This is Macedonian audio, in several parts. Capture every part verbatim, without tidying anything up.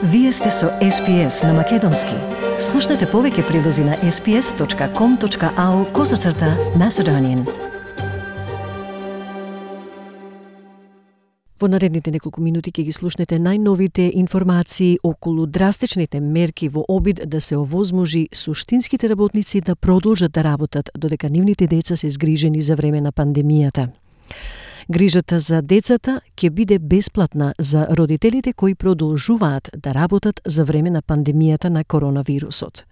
Вие сте со Ес Би Ес на Македонски. Слушнете повеќе прилози на ес би ес точка ком точка ау козацрта Macedonian. Во наредните неколку минути ќе ги слушнете најновите информации околу драстичните мерки во обид да се овозможи суштинските работници да продолжат да работат додека нивните деца се згрижени за време на пандемијата. Грижата за децата ќе биде бесплатна за родителите кои продолжуваат да работат за време на пандемијата на коронавирусот.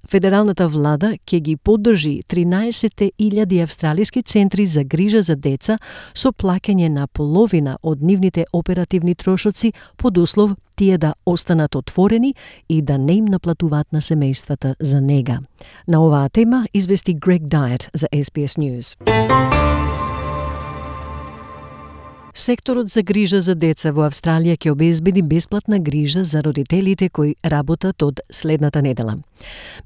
Федералната влада ќе ги поддржи тринаесет илјади австралиски центри за грижа за деца со плаќање на половина од нивните оперативни трошоци под услов тие да останат отворени и да не им наплатуваат на семејствата за нега. На оваа тема извести Грег Дайет за Ес Би Ес News. Секторот за грижа за деца во Австралија ќе обезбеди бесплатна грижа за родителите кои работат од следната недела.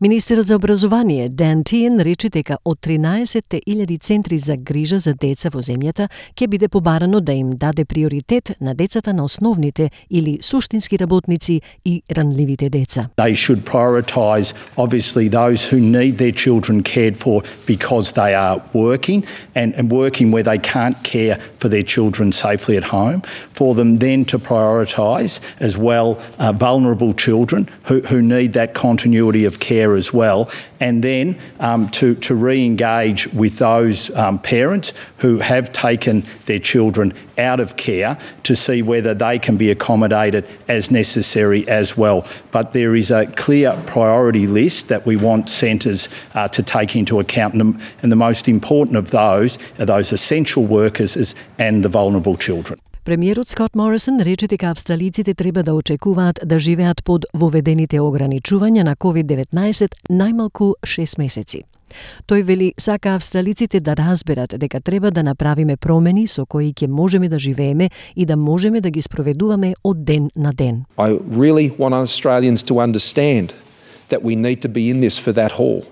Министерот за образование Дан Тиен рече дека од тринаесет илјади центри за грижа за деца во земјата ќе биде побарано да им даде приоритет на децата на основните или суштински работници и ранливите деца. They should prioritise obviously those who need their children cared for because they are working and, and working where they can't care for their children safely at home, for them then to prioritise as well uh, vulnerable children who, who need that continuity of care as well, and then um, to, to re-engage with those um, parents who have taken their children out of care to see whether they can be accommodated as necessary as well. But there is a clear priority list that we want centres uh, to take into account, and the most important of those are those essential workers and the vulnerable children. Премиерот Скот Морисон рече дека австралиците треба да очекуваат да живеат под воведените ограничувања на ковид деветнаесет најмалку шест месеци. Тој вели сака австралиците да разберат дека треба да направиме промени со кои ќе можеме да живееме и да можеме да ги спроведуваме од ден на ден. I really want Australians to understand that we need to be in this for that haul.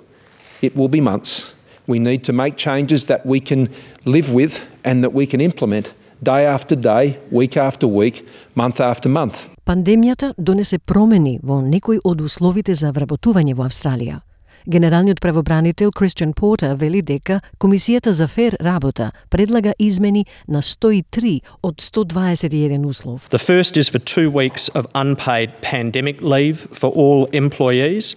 It will be months. We need to make changes that we can live with and that we can implement day after day, week after week, month after month. Пандемијата донесе промени во некои од условите за вработување во Австралија. Генералниот правобранител Кристијан Портер вели дека Комисијата за фер работа предлага измени на сто и три од сто дваесет и еден услов. The first is for two weeks of unpaid pandemic leave for all employees.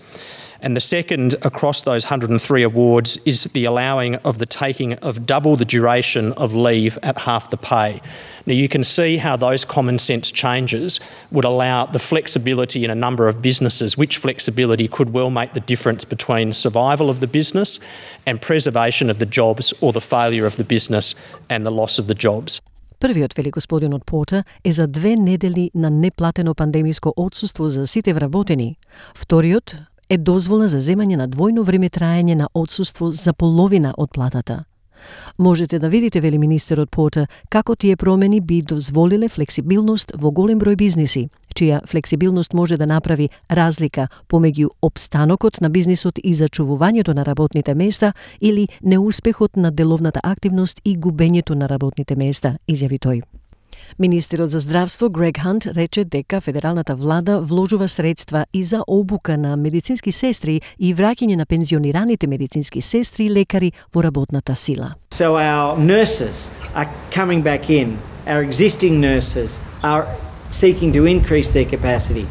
And the second across those one hundred and three awards is the allowing of the taking of double the duration of leave at half the pay. Now you can see how those common sense changes would allow the flexibility in a number of businesses, which flexibility could well make the difference between survival of the business and preservation of the jobs or the failure of the business and the loss of the jobs. Првиот, вели господинот Портер, е за две недели на неплатено пандемиско отсуство за сите вработени. Вториот е дозвола за земање на двојно време траење на отсуство за половина од платата. Можете да видите, вели министерот Портер, како тие промени би дозволиле флексибилност во голем број бизниси, чија флексибилност може да направи разлика помеѓу опстанокот на бизнисот и зачувувањето на работните места или неуспехот на деловната активност и губењето на работните места, изјави тој. Министерот за здравство Грег Хант рече дека федералната влада вложува средства и за обука на медицински сестри и враќање на пензионираните медицински сестри и лекари во работната сила. So our nurses are coming back in. Our existing nurses are seeking to increase their capacity.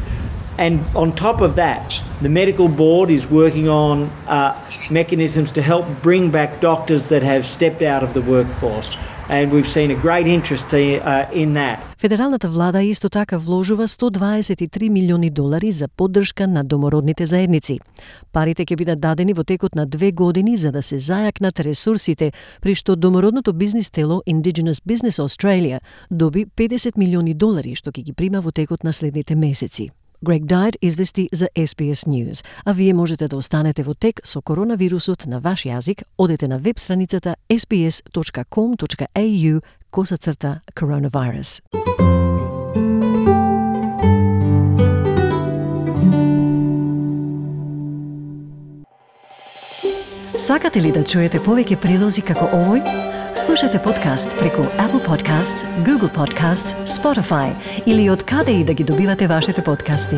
And on top of that, the medical board is working on uh, mechanisms to help bring back doctors that have stepped out of the workforce. And we've seen a great interest uh, in that. Федералната влада исто така вложува сто дваесет и три милиони долари за поддршка на домородните заедници. Парите ќе бидат дадени во текот на две години за да се зајакнат ресурсите, при што домородното бизнис тело Indigenous Business Australia доби педесет милиони долари што ќе ги прима во текот на следните месеци. Грег Дайет извести за Ес Би Ес News, а вие можете да останете во тек со коронавирусот на ваш јазик. Одете на веб страницата ес би ес точка ком точка ей ю косацрта coronavirus. Сакате ли да чуете повеќе прилози како овој? Слушате подкаст преку Apple Podcasts, Google Podcasts, Spotify или од каде и да ги добивате вашите подкасти.